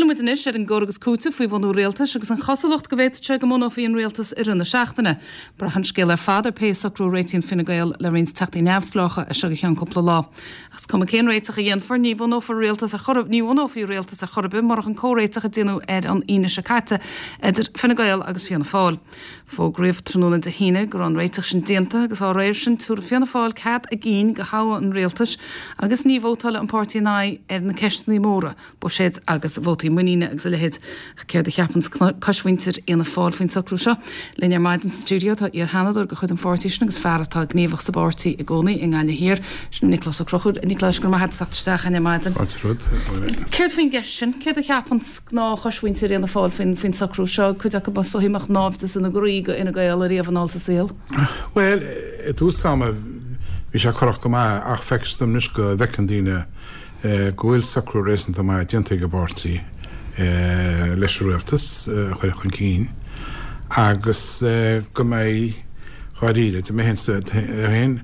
Filleann muid anois ar an gcur agus cúiteamh faoi bhunú rialtais agus an chosúlacht go bhféadfadh sé go mbunófaí an rialtas i rith na seachtaine. Braitheann an scéal ar fad ar pé socrú a réitíonn Fine Gael le roinnt teachtaí neamhspleácha as seo go ceann cúpla lá. Ach is cuma cén réiteach a dhéanfar, ní bhunófar rialtas ar chor, ní bhunófaí rialtas ar chor ar bith murach an comhréiteach a déanadh ar an Aoine seo caite idir Fine Gael agus Fianna Fáil. Fógraíodh tráthnóna Dé hAoine go raibh an réiteach sin déanta agus dá réir sin tabharfaidh Fianna Fáil cead a gcinn do thoghadh an rialtais agus ní vótálfaidh an páirtí in aghaidh ar na ceisteanna móra, buiséid agus vótaí muiníne agus a leithéid. Ach céard a cheapann coismhuintir Fhianna Fáil faoin socrú seo? Linn ar maidin sa stiúideo tá iar-sheanadóir de chuid an pháirtí sin agus fear atá gníomhach sa bpáirtí i gcónaí i nGaillimh Thiar, sin Nioclás Ó Conchúir. A Niocláis, go raibh maith agat as teacht isteach againn ar maidin. Fáilte romhat. Céard faoin gceist sin? Céard a cheapann gnáth-choismhuintir Fhianna Fáil faoin socrú seo? Cuid acu is dóichí a mbeadh náimhdeas ina gcroí go Fhine Gael ariamh anall sa saol. Bhuel, i dtús ama bhí sé corrach go maith ach feictear dom anois go bhfeiceann daoine go bhfuil socrú réasúnta maith déanta ag an bpáirtí leis an rialtas a chur chun cinn agus go mbeidh, dháiríre, dá mbeinn féin,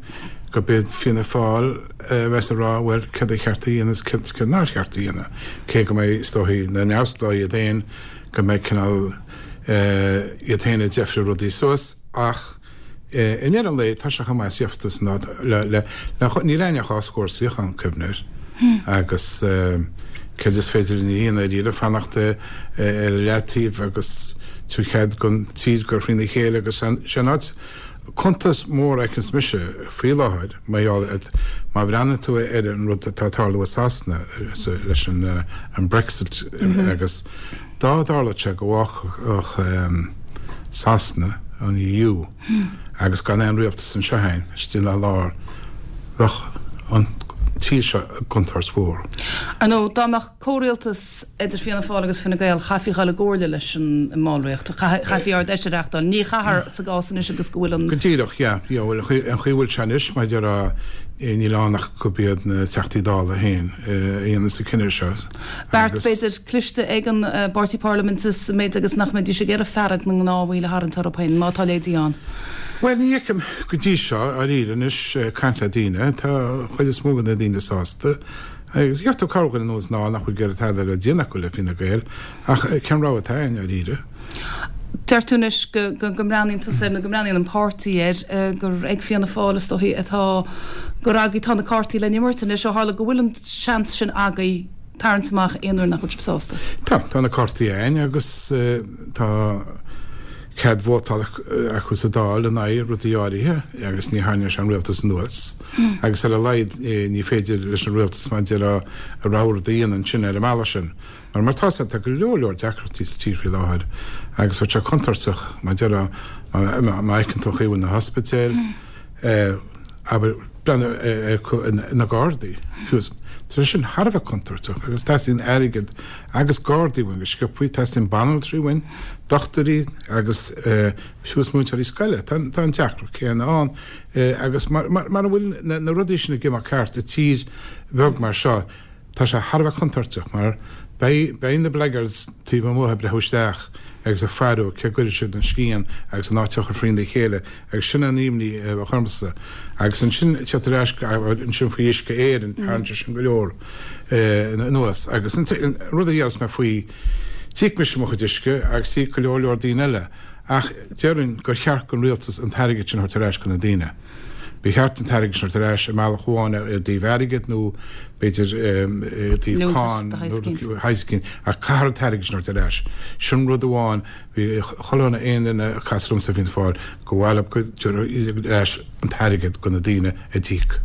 gurb iad Fianna Fáil a bheas ag rá bhuel céard a cheart a dhéanamh is céard nár cheart a dhéanamh, cé go mbeidh, is dóichí, na neamhspleáigh iad féin, go mbeidh cineál iad féin ag deifriú rudaí suas ach i ndeireadh an lae tá sé chomh maith is gheobhaidh tú san áit le, le, le, níl againn ach dhá scór suíochán, cuimhnigh air, agus céard is féidir linn a dhéanamh dáiríre, fanacht ar an leataobh agus tabhair cead don tír dul thrína chéile agus sé an áit Cuntas mór a fheiceanns mise faoi láthair, mar gheall ar, má bhreathnaíonn tú ar an rud atá ag tarlú i Sasana leis an Brexit agus dá dtarlódh sé go bhfágfadh Sasana an EU agus gan aon rialtas anseo againn istigh ina lár, bheadh an tír seo i gcontúirt mhór. Ar ndóigh, dá mbeadh comhrialtas idir Fianna Fáil agus Fine Gael, chaithfí a dhul i gcomhairle leis an mballraíocht, chaithfí Ard-Fheis a reachtáil. Ní chaithfear sa gcás anois agus go bhfuil an. Go díreach, yeah. Yeah, bhuel, an chaoi a bhfuil sé anois, mar a déarfá, níl ann ach gurb iad na Teachtaí Dála féin a dhéananns an cinneadh seo. Beart, b'fhéidir, cliste ag an bpáirtí parlaiminte sa méid agus nach mbeidís ag iarraidh fearg na ngnáthbhaill a tharraingt orthu féin, má tá a leithéidí ann. Bhuel, ní fheicim go dtí seo, dáiríre anois, ag caint le daoine, tá an chuid is mó de na daoine sásta. Gheobhaidh tú corrdhuine anuas anall nach bhfuil ag iarraidh tada le déanamh acu le Fine Gael, ach cén rogha atá againn, dáiríre? Deir tú anois go mbreathnaíonn tusa air, nó go mbreathnaíonn an páirtí air, gur ag Fianna Fáil is dóichí atá, gur agaibh atá na cártaí le n-imirt anois, ó tharla go bhfuil an seans sin agaibh tarraingt amach aon uair nach bhfuil sibh sásta. Tá, tá na cártaí againn agus tá. cead vótála acu sa Dáil in aghaidh rudaí áirithe agus ní tharraingeoidh sé an rialtas anuas agus ar a laghad ní féidir leis an rialtas mar a déarfá a rogha rud a dhéanamh ansin ar an mbealach sin. Mar mar tá tá go leor leor deacrachtaí sa tír faoi láthair agus bheadh sé contúirteach mar a déarfá má fheiceann tú an chaoi a bhfuil na hospidéil, abair, breathnú ar na Gardaí, fiú. Tá sé sin thar a bheith contúirteach agus teastaíonn airgead agus Gardaí uainn go sciobthaí, teastaíonn banaltraí uainn, dochtúirí agus fiú is múinteoirí scoile. Tá an deacracht céanna ann agus mara bhfuil na rudaí sin ag imeacht ceart i tír bheag mar seo, Tá sé thar a bheith contúirteach mar beidh beidh na blackguards taobh amuigh ag breathú isteach agus ag faire cé gcuirfidh siad an scian agus an áit á chur thrína chéile agus sin an imní a bheadh ormsa. Agus ansin teacht ar ais ansin faoi Uisce Éireann, tharraing sé sin go leor anuas. Agus an rud a déarfas mé faoi, d'íoc mise mo chuid uisce agus d'íoc go leor leor daoine eile ach déarfainn gur cheart don rialtas an t-airgead sin a thabhairt ar ais do na daoine. Ba cheart an t-airgead sin a thabhairt ar ais i mbealach amháin i dtaobh airgid nó b'fhéidir i dtaobh cáin nó shaghas éicint ach caithfear an t-airgead sin a thabhairt ar ais. Sin rud amháin, bhí chuile dhuine aon duine a casadh liomsa i bhFianna Fáil gur mhaith leo go dtabharfaí ar ais an t-airgead do na daoine a d'íoc.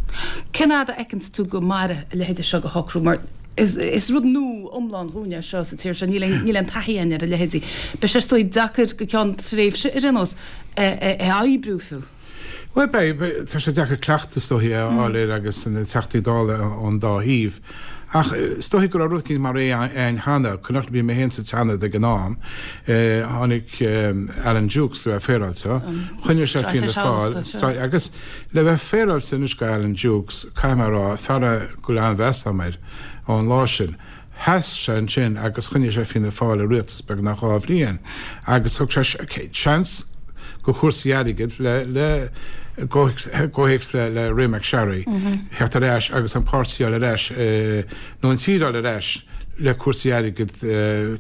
Cén fhad a fheiceanns tú go mairfidh a leithéide seo de shocrú mar is rud nua iomlán dhúinne é seo sa tír seo, níl aon taithí againn ar a leithéidí. Beidh sé is dóigh deacair go ceann tréimhse ar aon nós é a oibriú fiú. Bhuel, beidh, tá sé deacair cleachtadh is dóichí a fháil air agus na Teachtaí Dála ón dá thaobh. Ach is dóichí go raibh rud éicint mar é ann cheana, cuimhneach bhí mé féin sa tSeanad ag an am, tháinig Alan Dukes le bheith féaráilte, choinnigh sé Fianna Fáil, agus le bheith féaráilte anois go Alan Dukes, caithfidh mé a rá, fear é go bhfuil an-mheas agam air ón lá sin. Sheas sé ansin agus choinnigh sé Fianna Fáil i rialtas beagnach 2 bhliain agus thug sé seans go chúrsaí airgid le le gcomhthéacs le le Ray McSharry theacht ar ais agus an páirtí a fháil ar ais nó an tír a fháil ar ais. le cúrsaí airgid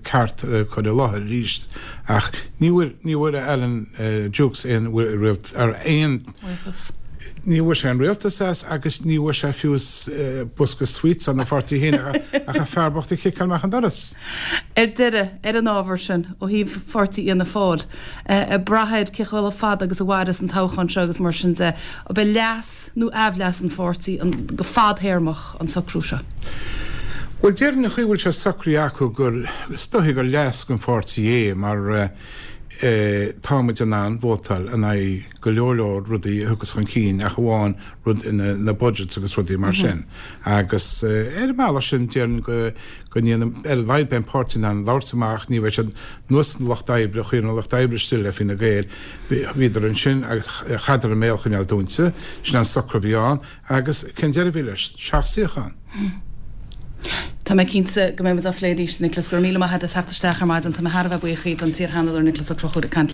ceart a chur i láthair arís ach ní bhfuair, ní bhfuair Alan Dukes aon aon, ní bhfuair sé an rialtas as agus ní bhfuair sé fiú bosca sweets óna pháirtí féin ach an fear bocht a chiceáil amach an doras. Ar deireadh, ar an ábhar sin, ó thaobh pháirtí Fhianna Fáil, ag brath ar cé chomh fada agus a mhairfeas an toghchán seo agus mar sin de, ab é leas nó aimhleas an pháirtí go fadthéarmach an socrú seo? Bhuel, déarfainn an chaoi a bhfuil sé socraithe acu gur, is dóichí gur leas don pháirtí é mar tá muid in ann vótáil in aghaidh go leor leor rudaí a thiocfas chun cinn ach amháin rud na budgets agus rudaí mar sin. Agus ar an mbealach sin déarfainn go go ndéanann, ar a laghad beidh an páirtí in ann labhairt amach, ní bheidh siad ar nós an Lucht Oibre, chuir an Lucht Oibre istigh le Fine Gael, bhíodar ansin agus chaitheadar a mbéal a choinneáil dúnta, sin an socrú a bhí ann agus cén deireadh a bhí leis? Seacht suíochán. Tá mé cinnte go mbeidh muid á phlé arís, Nioclás. Go raibh míle maith agat as theacht isteach ar maidin. Tá mé thar a bheith buíoch don t-iarsheanadóir Nioclás Ó Conchúir ag caint.